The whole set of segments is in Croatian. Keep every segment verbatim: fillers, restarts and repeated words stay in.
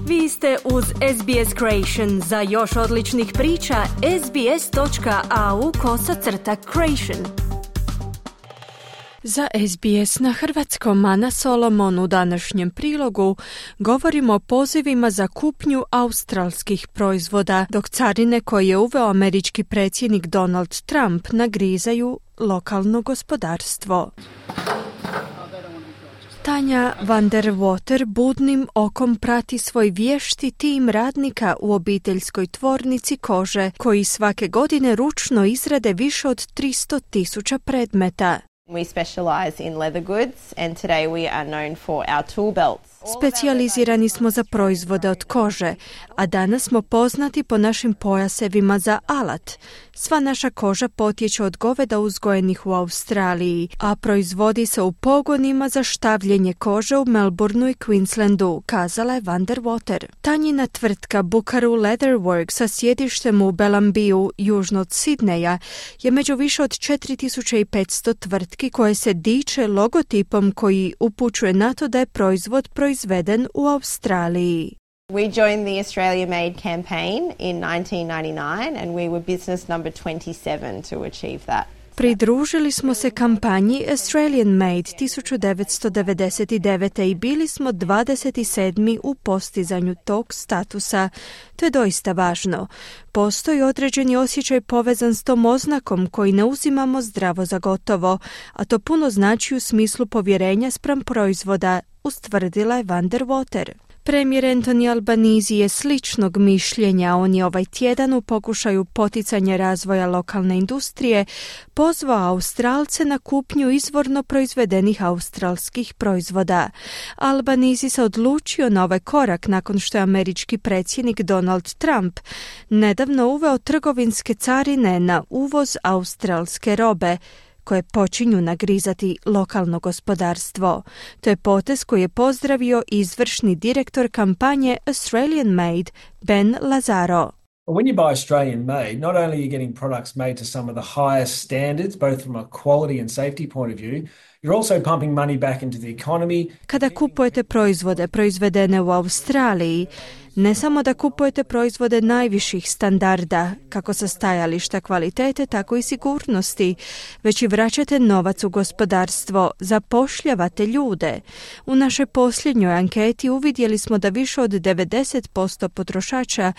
Vi ste uz S B S Creation. Za još odličnih priča, sbs.au kosacrta creation. Za S B S na hrvatskom Ana Solomon u današnjem prilogu govorimo o pozivima za kupnju australskih proizvoda, dok carine koje je uveo američki predsjednik Donald Trump nagrizaju lokalno gospodarstvo. Tanja van der Water budnim okom prati svoj vješti tim radnika u obiteljskoj tvornici kože, koji svake godine ručno izrade više od tristo tisuća predmeta. We specialize in leather goods and today we are known for our tool belts. Specijalizirani smo za proizvode od kože, a danas smo poznati po našim pojasevima za alat. Sva naša koža potječe od goveda uzgojenih u Australiji, a proizvodi se u pogonima za štavljenje kože u Melbourneu i Queenslandu, kazala je van der Water. Tanjina tvrtka Bukaru Leather Works sa sjedištem u Belambiju, južno od Sidneja, je među više od četiri tisuće petsto tvrtki koje se diče logotipom koji upućuje na to da je proizvod proizveden u Australiji. We joined the Australia Made campaign in nineteen ninety-nine and we were business number twenty-seven to achieve that. Pridružili smo se kampanji Australian Made tisuću devetsto devedeset devet. i bili smo dvadeset sedmi u postizanju tog statusa. To je doista važno. Postoji određeni osjećaj povezan s tom oznakom koji ne uzimamo zdravo za gotovo, a to puno znači u smislu povjerenja spram proizvoda, ustvrdila je van der Water. Premijer Anthony Albanese je sličnog mišljenja. On je ovaj tjedan u pokušaju poticanja razvoja lokalne industrije pozvao Australce na kupnju izvorno proizvedenih australskih proizvoda. Albanese se odlučio na ovaj korak nakon što je američki predsjednik Donald Trump nedavno uveo trgovinske carine na uvoz australske robe, koje počinju nagrizati lokalno gospodarstvo. To je potez koji je pozdravio izvršni direktor kampanje Australian Made, Ben Lazaro. When you buy Australian made, not only are you getting products made to some of the highest standards, both from a quality and safety point of view, you're also pumping money back into the economy. Kada kupujete proizvode proizvedene u Australiji, ne samo da kupujete proizvode najviših standarda, kako sa stajališta kvalitete, tako i sigurnosti, već i vraćate novac u gospodarstvo, zapošljavate ljude. U našoj posljednjoj anketi uvidjeli smo da više od devedeset posto potrošača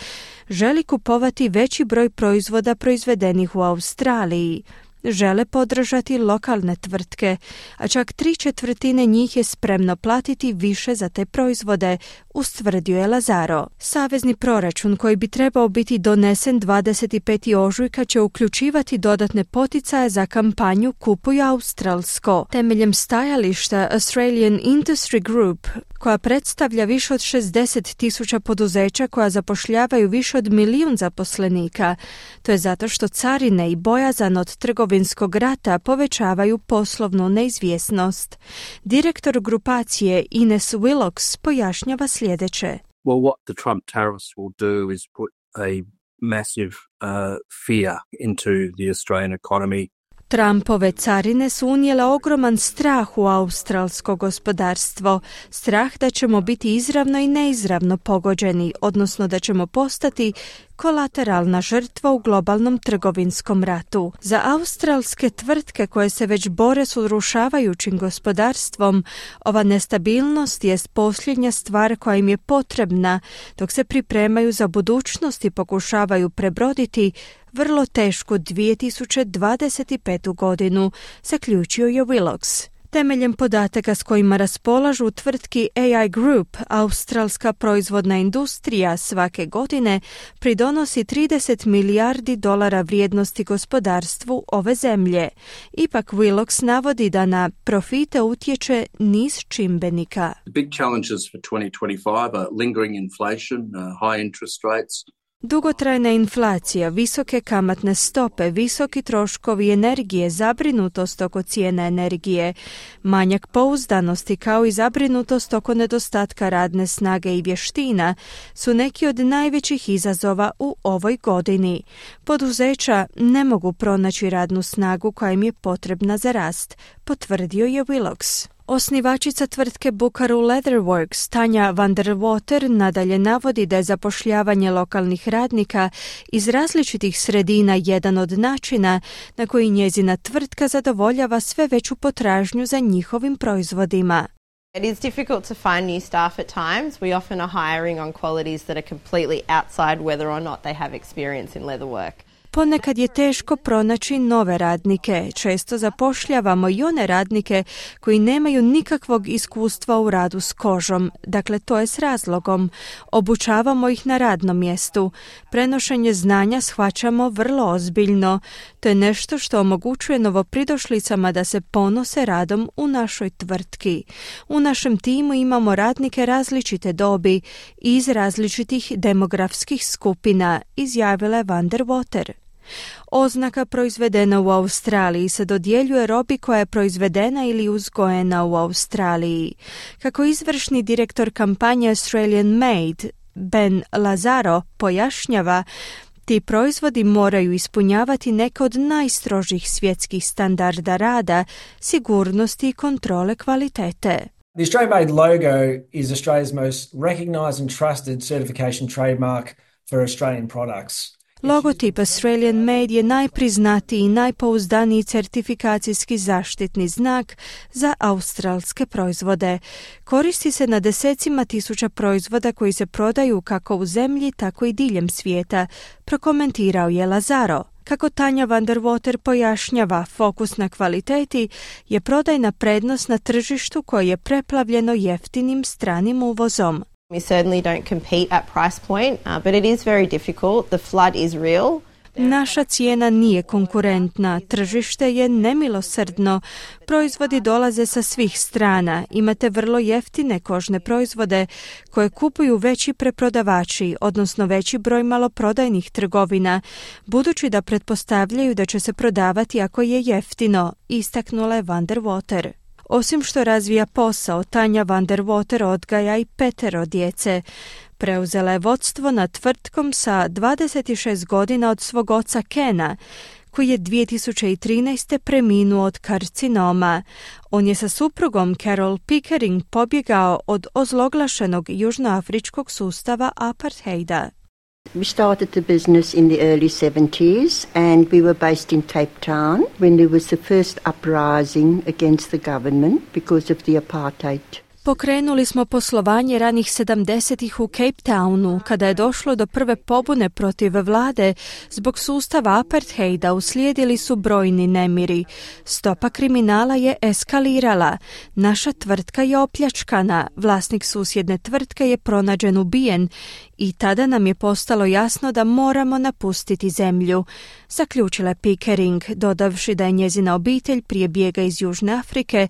želi kupovati veći broj proizvoda proizvedenih u Australiji. Žele podržati lokalne tvrtke, a čak tri četvrtine njih je spremno platiti više za te proizvode, ustvrdio je Lazaro. Savezni proračun koji bi trebao biti donesen dvadeset petog ožujka će uključivati dodatne poticaje za kampanju Kupuj australsko. Temeljem stajališta Australian Industry Group, koja predstavlja više od šezdeset tisuća poduzeća koja zapošljavaju više od milijun zaposlenika. To je zato što carine i bojazan od trgovinskog rata povećavaju poslovnu neizvjesnost. Direktor grupacije Ines Willox pojašnjava sljedeće. Well, what the Trump tariffs will do is put a massive uh, fear into the Australian economy. Trumpove carine su unijele ogroman strah u australsko gospodarstvo, strah da ćemo biti izravno i neizravno pogođeni, odnosno da ćemo postati kolateralna žrtva u globalnom trgovinskom ratu. Za australske tvrtke koje se već bore s urušavajućim gospodarstvom, ova nestabilnost jest posljednja stvar koja im je potrebna dok se pripremaju za budućnost i pokušavaju prebroditi vrlo tešku dvije tisuće dvadeset petu. godinu, zaključio je Willox. Temeljem podataka s kojima raspolažu tvrtki A I Group, australska proizvodna industrija svake godine pridonosi trideset milijardi dolara vrijednosti gospodarstvu ove zemlje. Ipak Willox navodi da na profite utječe niz čimbenika. The big challenges for twenty twenty-five are lingering inflation, uh, high interest rates. Dugotrajna inflacija, visoke kamatne stope, visoki troškovi energije, zabrinutost oko cijena energije, manjak pouzdanosti kao i zabrinutost oko nedostatka radne snage i vještina su neki od najvećih izazova u ovoj godini. Poduzeća ne mogu pronaći radnu snagu koja im je potrebna za rast, potvrdio je Willox. Osnivačica tvrtke Bukaru Leatherworks Tanja van der Water nadalje navodi da je zapošljavanje lokalnih radnika iz različitih sredina jedan od načina na koji njezina tvrtka zadovoljava sve veću potražnju za njihovim proizvodima. It is difficult to find new staff at times. We often are hiring on qualities that are completely outside whether or not they have experience in leather work. Ponekad je teško pronaći nove radnike. Često zapošljavamo i one radnike koji nemaju nikakvog iskustva u radu s kožom. Dakle, to je s razlogom. Obučavamo ih na radnom mjestu. Prenošenje znanja shvaćamo vrlo ozbiljno. To je nešto što omogućuje novopridošlicama da se ponose radom u našoj tvrtki. U našem timu imamo radnike različite dobi i iz različitih demografskih skupina, izjavila je van der Water. Oznaka proizvedena u Australiji se dodjeljuje robi koja je proizvedena ili uzgojena u Australiji. Kako izvršni direktor kampanje Australian Made, Ben Lazaro, pojašnjava, ti proizvodi moraju ispunjavati neke od najstrožih svjetskih standarda rada, sigurnosti i kontrole kvalitete. The Australian Made logo is Australia's most recognised and trusted certification trademark for Australian products. Logotip Australian Made je najpriznatiji i najpouzdaniji certifikacijski zaštitni znak za australske proizvode. Koristi se na desecima tisuća proizvoda koji se prodaju kako u zemlji, tako i diljem svijeta, prokomentirao je Lazaro. Kako Tanja van der Water pojašnjava, fokus na kvaliteti je prodajna prednost na tržištu koje je preplavljeno jeftinim stranim uvozom. We certainly don't compete at price point, uh, but it is very difficult. The flood is real. Naša cijena nije konkurentna, tržište je nemilosrdno, proizvodi dolaze sa svih strana, imate vrlo jeftine kožne proizvode koje kupuju veći preprodavači, odnosno veći broj maloprodajnih trgovina, budući da pretpostavljaju da će se prodavati ako je jeftino, istaknula je van der Water. Osim što razvija posao, Tanja van der Water odgaja i petero djece. Preuzela je vodstvo nad tvrtkom sa dvadeset šest godina od svog oca Kena, koji je dvije tisuće trinaeste preminuo od karcinoma. On je sa suprugom Carol Pickering pobjegao od ozloglašenog južnoafričkog sustava apartheida. We started the business in the early seventies and we were based in Cape Town when there was the first uprising against the government because of the apartheid. Pokrenuli smo poslovanje ranih sedamdesetih u Cape Townu, kada je došlo do prve pobune protiv vlade. Zbog sustava apartheida uslijedili su brojni nemiri. Stopa kriminala je eskalirala. Naša tvrtka je opljačkana. Vlasnik susjedne tvrtke je pronađen ubijen i tada nam je postalo jasno da moramo napustiti zemlju, zaključila je Pickering, dodavši da je njezina obitelj prije bijega iz Južne Afrike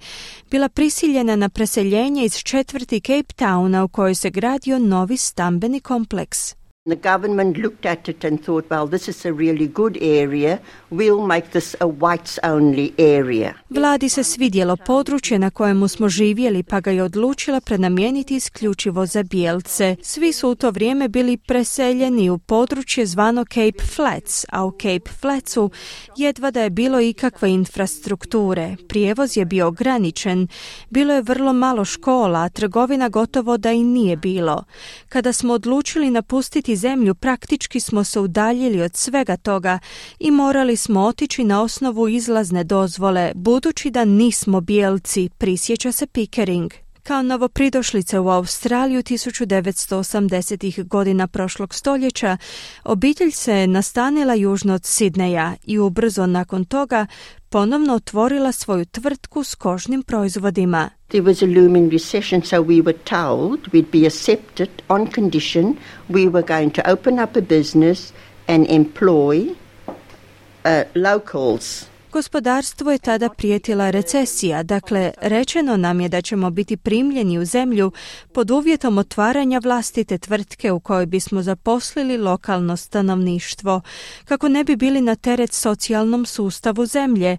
bila prisiljena na preseljenje iz četvrti Cape Towna u kojoj se gradio novi stambeni kompleks. The government looked at it and thought, well, this is a really good area. We'll make this a whites-only area. Vladi se svidjelo područje na kojemu smo živjeli, pa ga je odlučila prenamijeniti isključivo za bijelce. Svi su u to vrijeme bili preseljeni u područje zvano Cape Flats, a u Cape Flatsu jedva da je bilo ikakve infrastrukture. Prijevoz je bio ograničen, bilo je vrlo malo škola, a trgovina gotovo da i nije bilo. Kada smo odlučili napustiti zemlju, praktički smo se udaljili od svega toga i morali smo otići na osnovu izlazne dozvole, budući da nismo bijelci, prisjeća se Pickering. Kao novopridošlice u Australiju tisuću devetsto osamdesetih godina prošlog stoljeća, obitelj se nastanila južno od Sidneja i ubrzo nakon toga ponovno otvorila svoju tvrtku s kožnim proizvodima. There was a looming recession, so we were told we'd be accepted on condition we were going to open up a business and employ uh, locals. Gospodarstvu je tada prijetila recesija, dakle rečeno nam je da ćemo biti primljeni u zemlju pod uvjetom otvaranja vlastite tvrtke u kojoj bismo zaposlili lokalno stanovništvo, kako ne bi bili na teret socijalnom sustavu zemlje.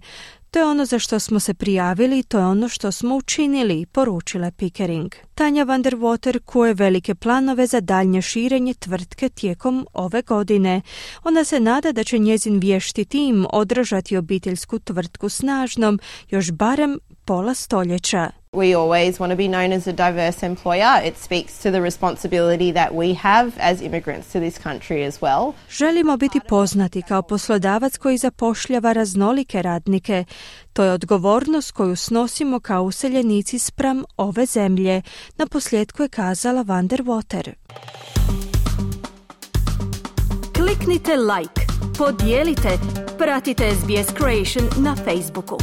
To je ono za što smo se prijavili, to je ono što smo učinili, poručila Pickering. Tanja van der Water kuje velike planove za daljnje širenje tvrtke tijekom ove godine. Ona se nada da će njezin vješti tim održati obiteljsku tvrtku snažnom još barem pola stoljeća. We always want to be known as a diverse employer. It speaks to the responsibility that we have as immigrants to this country as well. Želimo biti poznati kao poslodavac koji zapošljava raznolike radnike. To je odgovornost koju snosimo kao useljenici spram ove zemlje, na posljedku je kazala Van der Water. Kliknite like, podijelite, pratite S B S Creation na Facebooku.